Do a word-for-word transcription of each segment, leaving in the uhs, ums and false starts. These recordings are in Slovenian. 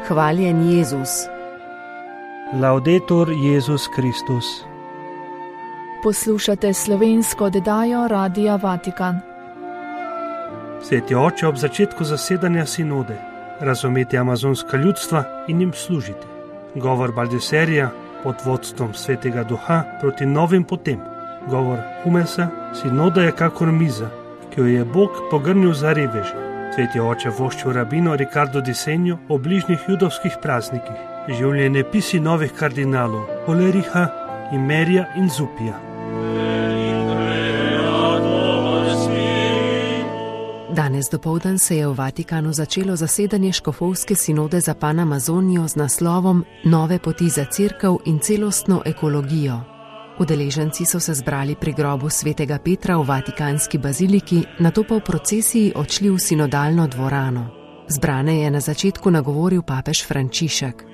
Hvaljen Jezus. Laudetur Jezus Kristus. Poslušate slovensko oddajo Radia Vatikan. Sveti oče, ob začetku zasedanja sinode razumeti amazonska ljudstva in jim služiti. Govor Baldeserija pod vodstvom Svetega Duha proti novim potem. Govor Humesa, sinoda je kakor miza, ki jo je Bog pogrnil za reveže. Sveti oče voščil rabino Ricardo di Segno o bližnjih judovskih praznikih, življenje pisi novih kardinalov Holericha, Imerija in Zupija. Danes dopoldan se je v Vatikanu začelo zasedanje škofovske sinode za Panamazonijo z naslovom Nove poti za cerkev in celostno ekologijo. Udeleženci so se zbrali pri grobu svetega Petra v Vatikanski baziliki, nato pa v procesiji odšli v sinodalno dvorano. Zbrane je na začetku nagovoril papež Frančišek.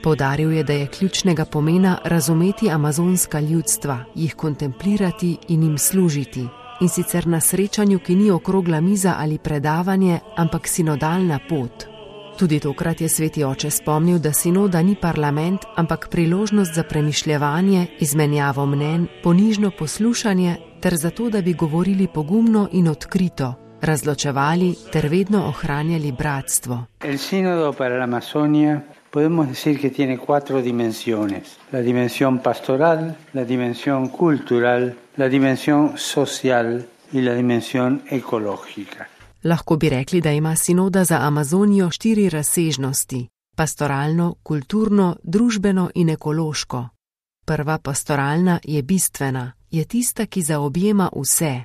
Poudaril je, da je ključnega pomena razumeti amazonska ljudstva, jih kontemplirati in jim služiti. In sicer na srečanju, ki ni okrogla miza ali predavanje, ampak sinodalna pot. Tudi tokrat je sveti oče spomnil, da sinoda ni parlament, ampak priložnost za premišljevanje, izmenjavo mnenj, ponižno poslušanje ter zato, da bi govorili pogumno in odkrito, razločevali ter vedno ohranjali bratstvo. El sínodo para la Amazonia podemos decir que tiene cuatro dimensiones: la dimensión pastoral, la dimensión cultural, la dimensión social y la dimensión ecológica. Lahko bi rekli, da ima sinoda za Amazonijo štiri razsežnosti: pastoralno, kulturno, družbeno in ekološko. Prva pastoralna je bistvena, je tista, ki zaobjema vse.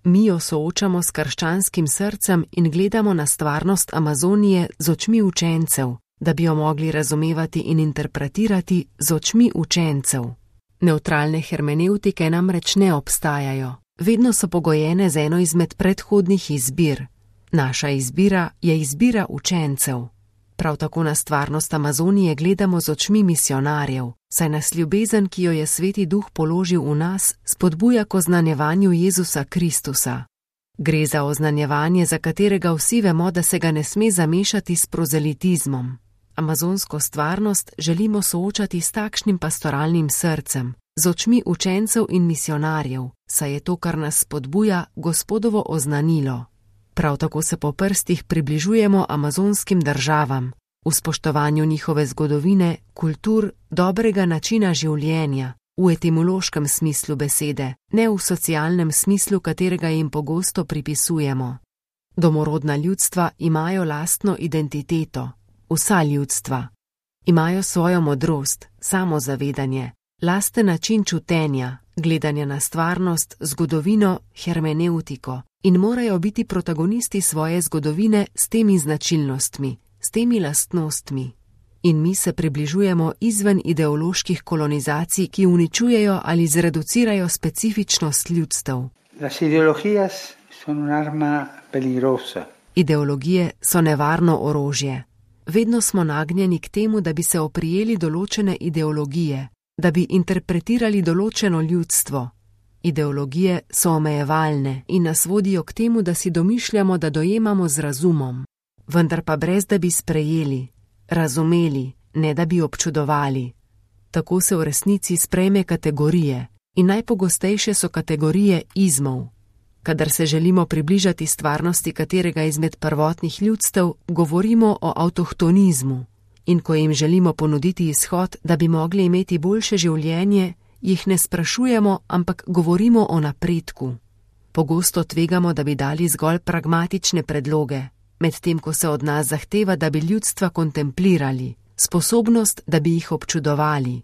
Mi jo soočamo s krščanskim srcem in gledamo na stvarnost Amazonije z očmi učencev, da bi jo mogli razumevati in interpretirati z očmi učencev. Neutralne hermenevtike namreč ne obstajajo. Vedno so pogojene z eno izmed predhodnih izbir. Naša izbira je izbira učencev. Prav tako na stvarnost Amazonije gledamo z očmi misionarjev, saj nas ljubezen, ki jo je Sveti Duh položil v nas, spodbuja k oznanjevanju Jezusa Kristusa. Gre za oznanjevanje, za katerega vsi vemo, da se ga ne sme zamešati s prozelitizmom. Amazonsko stvarnost želimo soočati s takšnim pastoralnim srcem, z očmi učencev in misionarjev, saj je to, kar nas spodbuja, Gospodovo oznanilo. Prav tako se po prstih približujemo amazonskim državam, v spoštovanju njihove zgodovine, kultur, dobrega načina življenja, v etimološkem smislu besede, ne v socialnem smislu, katerega jim pogosto pripisujemo. Domorodna ljudstva imajo lastno identiteto, vsa ljudstva. Imajo svojo modrost, samozavedanje, lasten način čutenja, gledanja na stvarnost, zgodovino, hermenevtiko in morajo biti protagonisti svoje zgodovine s temi značilnostmi, s temi lastnostmi. In mi se približujemo izven ideoloških kolonizacij, ki uničujejo ali zreducirajo specifičnost ljudstev. Las ideologías son un arma peligrosa. Ideologije so nevarno orožje. Vedno smo nagnjeni k temu, da bi se oprijeli določene ideologije, da bi interpretirali določeno ljudstvo. Ideologije so omejevalne in nas vodijo k temu, da si domišljamo, da dojemamo z razumom, vendar pa brez, da bi sprejeli, razumeli, ne da bi občudovali. Tako se v resnici sprejme kategorije in najpogostejše so kategorije izmov. Kadar se želimo približati stvarnosti katerega izmed prvotnih ljudstev, govorimo o avtohtonizmu. In ko jim želimo ponuditi izhod, da bi mogli imeti boljše življenje, jih ne sprašujemo, ampak govorimo o napredku. Pogosto tvegamo, da bi dali zgolj pragmatične predloge, medtem ko se od nas zahteva, da bi ljudstva kontemplirali, sposobnost, da bi jih občudovali.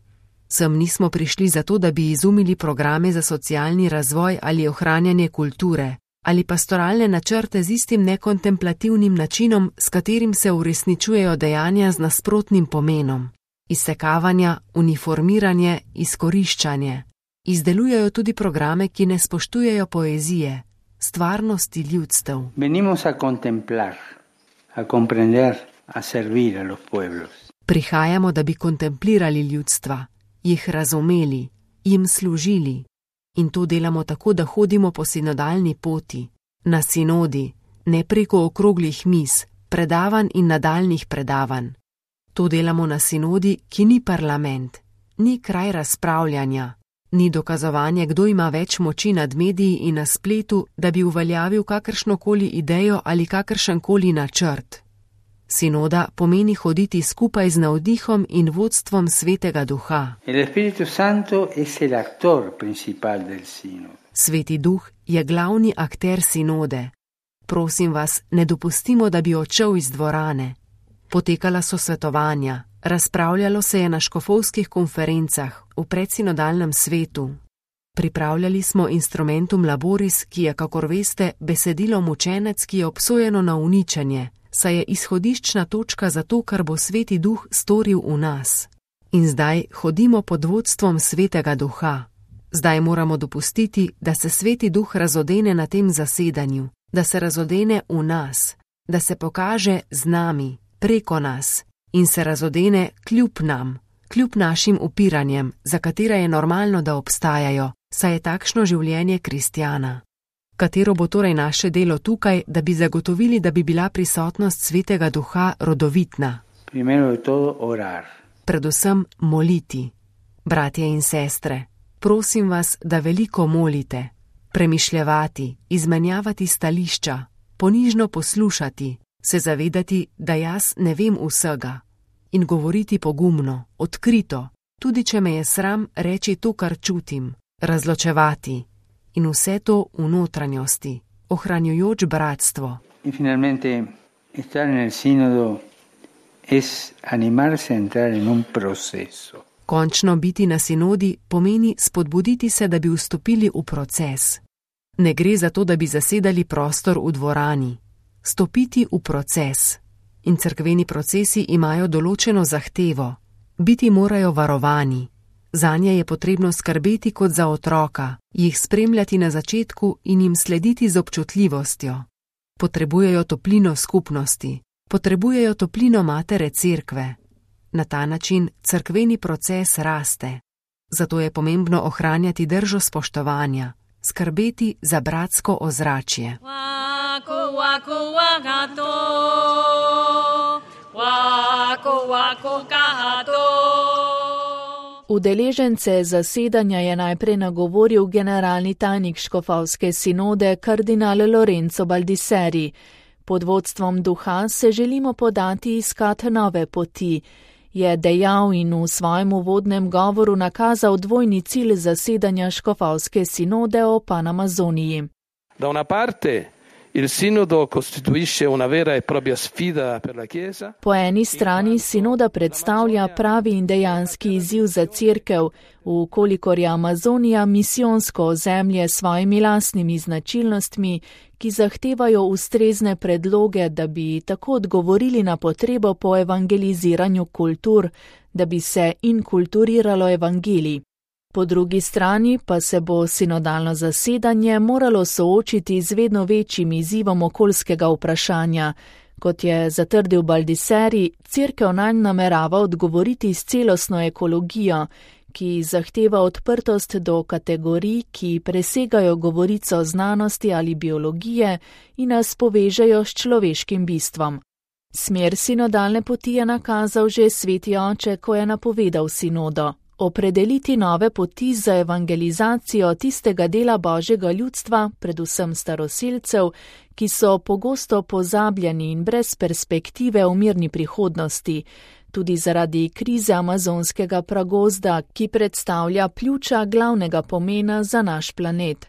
Sem nismo prišli zato, da bi izumili programe za socialni razvoj ali ohranjanje kulture, ali pastoralne načrte z istim nekontemplativnim načinom, s katerim se uresničujejo dejanja z nasprotnim pomenom. Izsekavanja, uniformiranje, izkoriščanje. Izdelujejo tudi programe, ki ne spoštujejo poezije, stvarnosti ljudstev. Venimos a contemplar, a comprender, a servir a los pueblos. Prihajamo, da bi kontemplirali ljudstva, jih razumeli, jim služili. In to delamo tako, da hodimo po sinodalni poti, na sinodi, ne preko okroglih miz, predavanj in nadaljnih predavanj. To delamo na sinodi, ki ni parlament, ni kraj razpravljanja, ni dokazovanje, kdo ima več moči nad mediji in na spletu, da bi uveljavil kakršnokoli idejo ali kakršenkoli načrt. Sinoda pomeni hoditi skupaj z navdihom in vodstvom Svetega Duha. Sveti Duh je glavni akter sinode. Prosim vas, ne dopustimo, da bi odšel iz dvorane. Potekala so svetovanja, razpravljalo se je na škofovskih konferencah v predsinodalnem svetu. Pripravljali smo instrumentum laboris, ki je, kakor veste, besedilo mučenec, ki je obsojeno na uničenje, saj je izhodiščna točka za to, kar bo Sveti Duh storil v nas. In zdaj hodimo pod vodstvom Svetega Duha. Zdaj moramo dopustiti, da se Sveti Duh razodene na tem zasedanju, da se razodene v nas, da se pokaže z nami, preko nas in se razodene kljub nam, kljub našim upiranjem, za katera je normalno, da obstajajo, saj je takšno življenje kristjana. Katero bo torej naše delo tukaj, da bi zagotovili, da bi bila prisotnost Svetega Duha rodovitna? Predvsem moliti. Bratje in sestre, prosim vas, da veliko molite, premišljevati, izmenjavati stališča, ponižno poslušati, se zavedati, da jaz ne vem vsega in govoriti pogumno, odkrito, tudi če me je sram reči to, kar čutim, razločevati in vse to v notranjosti, ohranjujoč bratstvo. In finalmente, estar nel sinodo es animarse a entrar en un proceso. Končno biti na sinodi pomeni spodbuditi se, da bi vstopili v proces. Ne gre za to, da bi zasedali prostor v dvorani. Stopiti v proces. In cerkveni procesi imajo določeno zahtevo. Biti morajo varovani. Zanje je potrebno skrbeti kot za otroka, jih spremljati na začetku in jim slediti z občutljivostjo. Potrebujejo toplino skupnosti, potrebujejo toplino matere cerkve. Na ta način cerkveni proces raste. Zato je pomembno ohranjati držo spoštovanja, skrbeti za bratsko ozračje. Wako, wako, wakato. Wako, wako, kahato. Udeležence zasedanja je najprej nagovoril generalni tajnik škofovske sinode kardinal Lorenzo Baldisseri. Pod vodstvom Duha se želimo podati iskat nove poti, je dejal in v svojem uvodnem govoru nakazal dvojni cilj zasedanja škofovske sinode o Panamazoniji. Da una parte il sinodo costituisce una vera e propria sfida per la Chiesa. Po eni strani sinoda predstavlja pravi in dejanski izziv za cerkev, vkolikor je Amazonija misijonsko ozemlje s svojimi lastnimi značilnostmi, ki zahtevajo ustrezne predloge, da bi tako odgovorili na potrebo po evangeliziranju kultur, da bi se inkulturiralo evangelij. Po drugi strani pa se bo sinodalno zasedanje moralo soočiti z vedno večjim izzivom okoljskega vprašanja. Kot je zatrdil Baldisseri, cerkev nanj namerava odgovoriti s celostno ekologijo, ki zahteva odprtost do kategorij, ki presegajo govorico znanosti ali biologije in nas povežejo s človeškim bistvom. Smer sinodalne poti je nakazal že Sveti Oče, ko je napovedal sinodo. Opredeliti nove poti za evangelizacijo tistega dela Božjega ljudstva, predvsem staroselcev, ki so pogosto pozabljeni in brez perspektive v mirni prihodnosti, tudi zaradi krize amazonskega pragozda, ki predstavlja pljuča glavnega pomena za naš planet.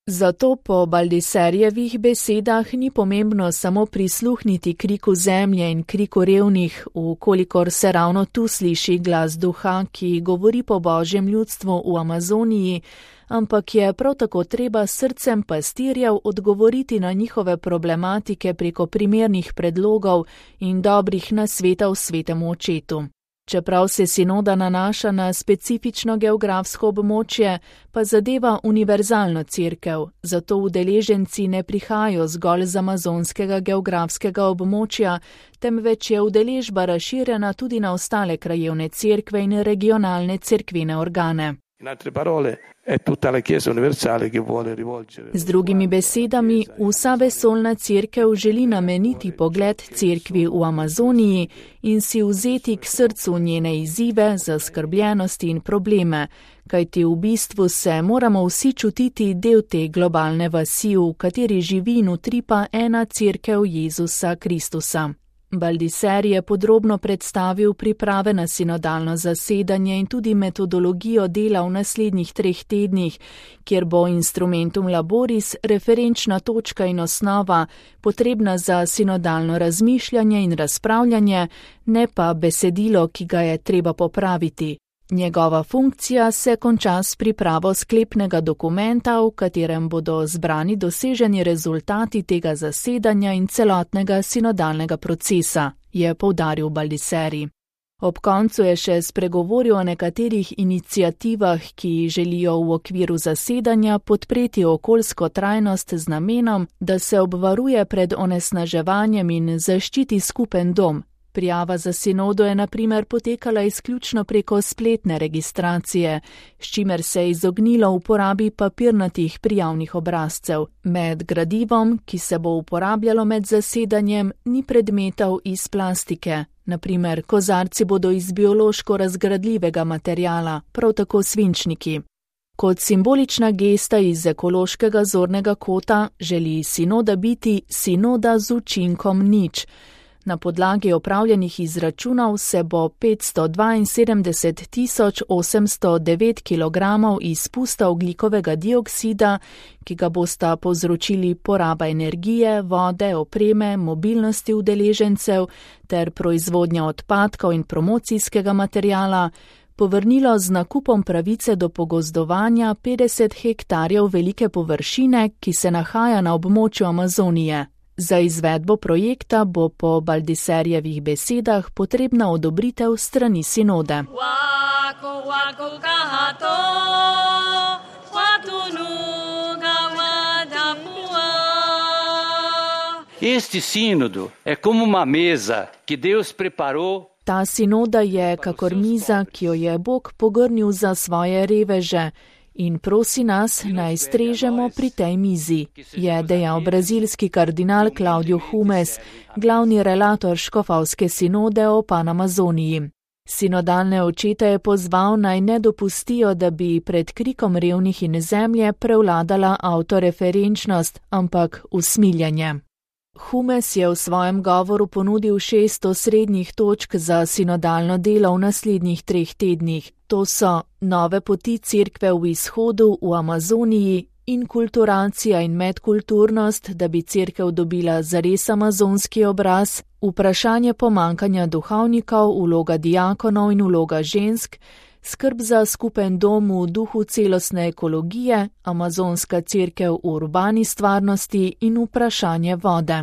Zato po Baldisserjevih besedah ni pomembno samo prisluhniti kriku zemlje in kriku revnih, vkolikor se ravno tu sliši glas Duha, ki govori po Božjem ljudstvu v Amazoniji, ampak je prav tako treba srcem pastirjev odgovoriti na njihove problematike preko primernih predlogov in dobrih nasvetov Svetemu Očetu. Čeprav se sinoda nanaša na specifično geografsko območje, pa zadeva univerzalno cerkev, zato udeleženci ne prihajajo zgolj z amazonskega geografskega območja, temveč je udeležba razširjena tudi na ostale krajevne cerkve in regionalne cerkvene organe. In altre parole, è tutta la Chiesa universale che vuole rivolgere. Z drugimi besedami, vsa vesoljna cerkev želi nameniti pogled cerkvi v Amazoniji in si vzeti k srcu njene izzive, zaskrbljenosti in probleme, kajti v bistvu se moramo vsi čutiti del te globalne vasi, v kateri živi in utripa ena cerkev Jezusa Kristusa. Baldiser je podrobno predstavil priprave na sinodalno zasedanje in tudi metodologijo dela v naslednjih treh tednih, kjer bo instrumentum laboris referenčna točka in osnova, potrebna za sinodalno razmišljanje in razpravljanje, ne pa besedilo, ki ga je treba popraviti. Njegova funkcija se konča s pripravo sklepnega dokumenta, v katerem bodo zbrani doseženi rezultati tega zasedanja in celotnega sinodalnega procesa, je poudaril Baldiseri. Ob koncu je še spregovoril o nekaterih iniciativah, ki želijo v okviru zasedanja podpreti okoljsko trajnost z namenom, da se obvaruje pred onesnaževanjem in zaščiti skupen dom. Prijava za sinodo je na primer potekala izključno preko spletne registracije, s čimer se je izognilo uporabi papirnatih prijavnih obrazcev. Med gradivom, ki se bo uporabljalo med zasedanjem, ni predmetov iz plastike. Na primer, kozarci bodo iz biološko razgradljivega materiala, prav tako svinčniki. Kot simbolična gesta iz ekološkega zornega kota želi sinoda biti sinoda z učinkom nič. Na podlagi opravljenih izračunov se bo petsto dvainsedemdeset tisoč osemsto devet kilogramov izpusta ogljikovega dioksida, ki ga bosta povzročili poraba energije, vode, opreme, mobilnosti udeležencev ter proizvodnja odpadkov in promocijskega materiala, povrnilo z nakupom pravice do pogozdovanja petdeset hektarjev velike površine, ki se nahaja na območju Amazonije. Za izvedbo projekta bo po Baldiserjevih besedah potrebna odobritev strani sinode. Este sínodo é como uma mesa que Deus preparou. Ta sinoda je kakor miza, ki jo je Bog pogrnil za svoje reveže, in prosi nas, naj strežemo pri tej mizi, je dejal brazilski kardinal Claudio Humes, glavni relator škofovske sinode o Panamazoniji. Sinodalne očete je pozval, naj ne dopustijo, da bi pred krikom revnih in zemlje prevladala avtoreferenčnost, ampak usmiljanje. Humes je v svojem govoru ponudil šest osrednjih točk za sinodalno delo v naslednjih treh tednih. To so nove poti cerkve v izhodu v Amazoniji, inkulturacija in medkulturnost, da bi cerkev dobila zares amazonski obraz, vprašanje pomankanja duhovnikov, vloga diakonov in vloga žensk, skrb za skupen dom v duhu celostne ekologije, amazonska cerkev v urbani stvarnosti in vprašanje vode.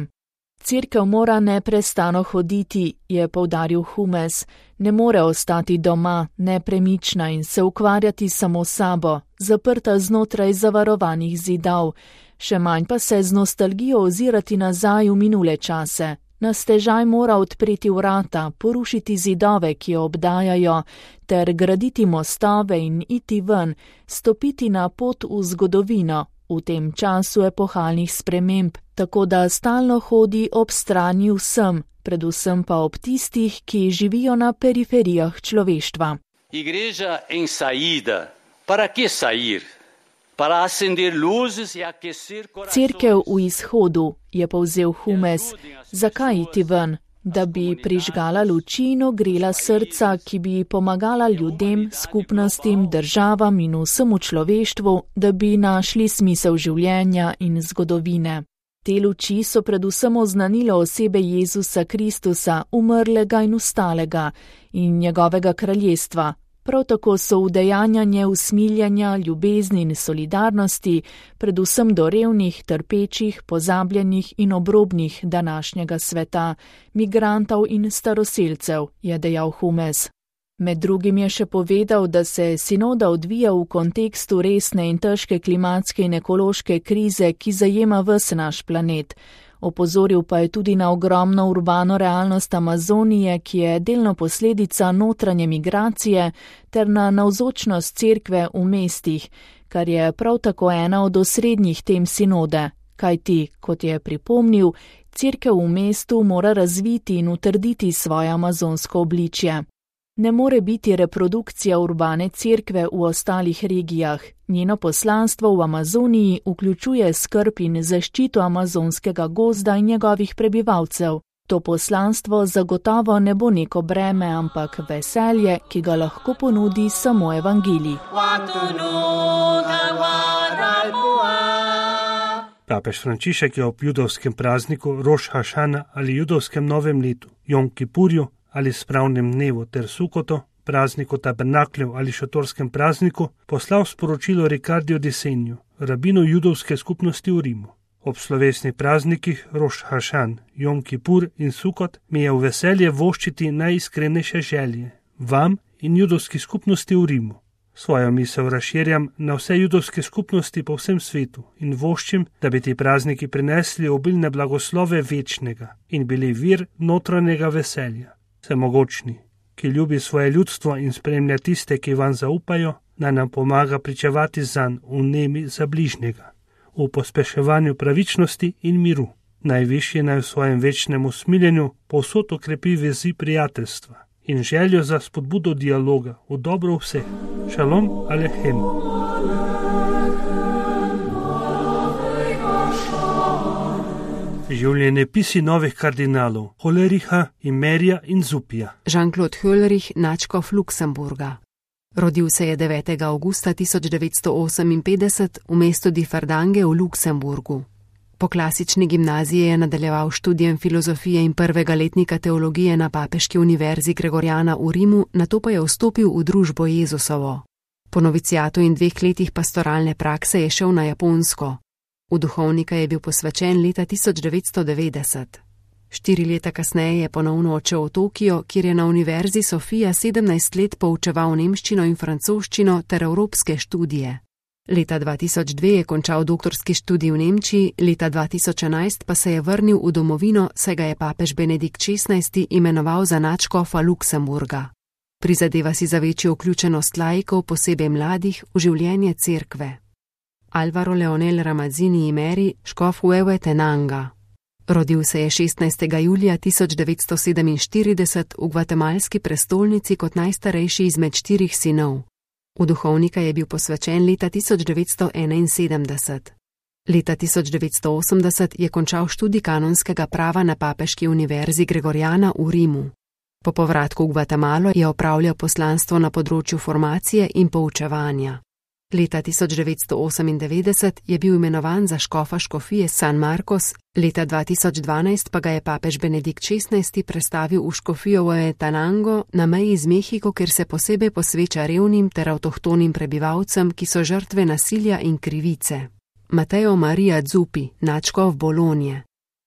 Cerkev mora neprestano hoditi, je poudaril Humes, ne more ostati doma, nepremična in se ukvarjati samo sabo, zaprta znotraj zavarovanih zidov, še manj pa se z nostalgijo ozirati nazaj v minule čase. Na stežaj mora odpreti vrata, porušiti zidove, ki jo obdajajo, ter graditi mostove in iti ven, stopiti na pot v zgodovino, v tem času epohalnih sprememb, tako da stalno hodi ob strani vsem, predvsem pa ob tistih, ki živijo na periferijah človeštva. Igreja em saída. Para que sair? Para acender luzes e aquecer corações. Cerkev v izhodu, je povzel Humes. Zakaj iti ven? Da bi prižgala luči in ogrela srca, ki bi pomagala ljudem, skupnostim, državam in vsemu človeštvu, da bi našli smisel življenja in zgodovine. Te luči so predvsem oznanilo osebe Jezusa Kristusa, umrlega in ustalega, in njegovega kraljestva. Prav tako so udejanjanje usmiljanja, ljubezni in solidarnosti, predvsem do revnih, trpečih, pozabljenih in obrobnih današnjega sveta, migrantov in staroselcev, je dejal Humes. Med drugim je še povedal, da se sinoda odvija v kontekstu resne in težke klimatske in ekološke krize, ki zajema ves naš planet. Opozoril pa je tudi na ogromno urbano realnost Amazonije, ki je delno posledica notranje migracije, ter na navzočnost cerkve v mestih, kar je prav tako ena od osrednjih tem sinode, kajti, kot je pripomnil, cerkev v mestu mora razviti in utrditi svoje amazonsko obličje. Ne more biti reprodukcija urbane cerkve v ostalih regijah. Njeno poslanstvo v Amazoniji vključuje skrb in zaščito amazonskega gozda in njegovih prebivalcev. To poslanstvo zagotovo ne bo neko breme, ampak veselje, ki ga lahko ponudi samo evangelij. Papež Frančišek je ob judovskem prazniku Roš Hašana ali judovskem novem letu, Jom Kipurju ali spravnem dnevu ter Sukoto, prazniku tabernakljev ali šatorskem prazniku, poslal sporočilo Ricardiju di Segnu, rabinu judovske skupnosti v Rimu. Ob slovesnih praznikih Roš Hašan, Jom Kipur in Sukot mi je v veselje voščiti najiskrenejše želje, vam in judovski skupnosti v Rimu. Svojo misel razširjam na vse judovske skupnosti po vsem svetu in voščim, da bi ti prazniki prinesli obilne blagoslove večnega in bili vir notranjega veselja. Vsemogočni, ki ljubi svoje ljudstvo in spremlja tiste, ki vam zaupajo, naj nam pomaga pričevati zanj v nemi za bližnjega, v pospeševanju pravičnosti in miru. Najvišji naj v svojem večnem usmiljenju povsod okrepi vezi prijateljstva in željo za spodbudo dialoga v dobro vseh. Šalom Alechem. Življenjepisi novih kardinalov Holericha, Imerija in Zupija. Jean-Claude Hollerich, nadškof Luksemburga. Rodil se je devetega avgusta tisoč devetsto oseminpetdeset v mestu Differdange v Luksemburgu. Po klasični gimnaziji je nadaljeval študijem filozofije in prvega letnika teologije na Papeški univerzi Gregoriana v Rimu, nato pa je vstopil v družbo Jezusovo. Po novicijatu in dveh letih pastoralne prakse je šel na Japonsko. V duhovnika je bil posvečen leta tisoč devetsto devetdeset. Štiri leta kasneje je ponovno odšel v Tokio, kjer je na univerzi Sofija sedemnajst let poučeval nemščino in francoščino ter evropske študije. Leta dva tisoč dve je končal doktorski študij v Nemčiji, leta dva tisoč enajst pa se je vrnil v domovino, saj ga je papež Benedikt šestnajsti imenoval za nadškofa Luksemburga. Prizadeva si za večjo vključenost laikov, posebej mladih, v življenje cerkve. Alvaro Leonel Ramazzini Imeri, škof Huehue Tenanga. Rodil se je šestnajstega julija tisoč devetsto sedeminštirideset v gvatemalski prestolnici kot najstarejši izmed štirih sinov. V duhovnika je bil posvečen leta tisoč devetsto enainsedemdeset. Leta tisoč devetsto osemdeset je končal študij kanonskega prava na Papeški univerzi Gregoriana v Rimu. Po povratku v Gvatemalo je opravljal poslanstvo na področju formacije in poučevanja. Leta tisoč devetsto osemindevetdeset je bil imenovan za škofa škofije San Marcos, leta dva tisoč dvanajst pa ga je papež Benedikt šestnajsti prestavil v škofijo Huehuetenango na meji z Mehiko, kjer se posebej posveča revnim ter avtohtonim prebivalcem, ki so žrtve nasilja in krivice. Mateo Maria Zuppi, nadškof Bolonje.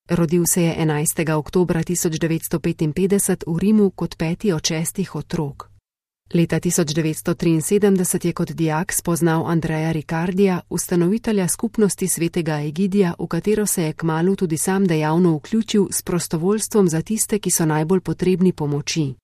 Rodil se je enajstega oktobra tisoč devetsto petinpetdeset v Rimu kot peti od šestih otrok. Leta tisoč devetsto triinsedemdeset je kot dijak spoznal Andreja Ricardija, ustanovitelja skupnosti svetega Egidija, v katero se je kmalu tudi sam dejavno vključil s prostovoljstvom za tiste, ki so najbolj potrebni pomoči.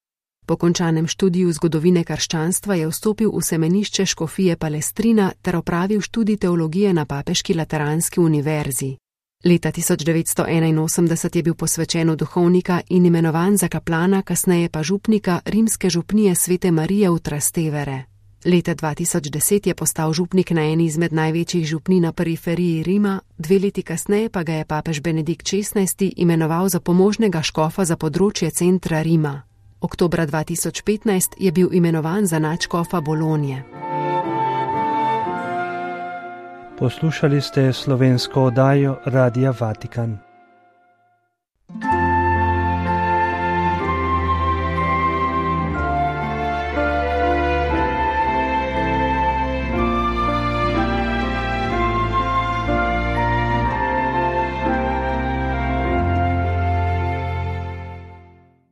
Po končanem študiju zgodovine krščanstva je vstopil v semenišče škofije Palestrina ter opravil študij teologije na Papeški lateranski univerzi. Leta tisoč devetsto enainosemdeset je bil posvečen v duhovnika in imenovan za kaplana, kasneje pa župnika rimske župnije Svete Marije v Trastevere. Leta dva tisoč deset je postal župnik na eni izmed največjih župnij na periferiji Rima, dve leti kasneje pa ga je papež Benedikt šestnajsti imenoval za pomožnega škofa za področje centra Rima. Oktobra dva tisoč petnajst je bil imenovan za nadškofa Bolonje. Poslušali ste slovensko oddajo Radia Vatikan.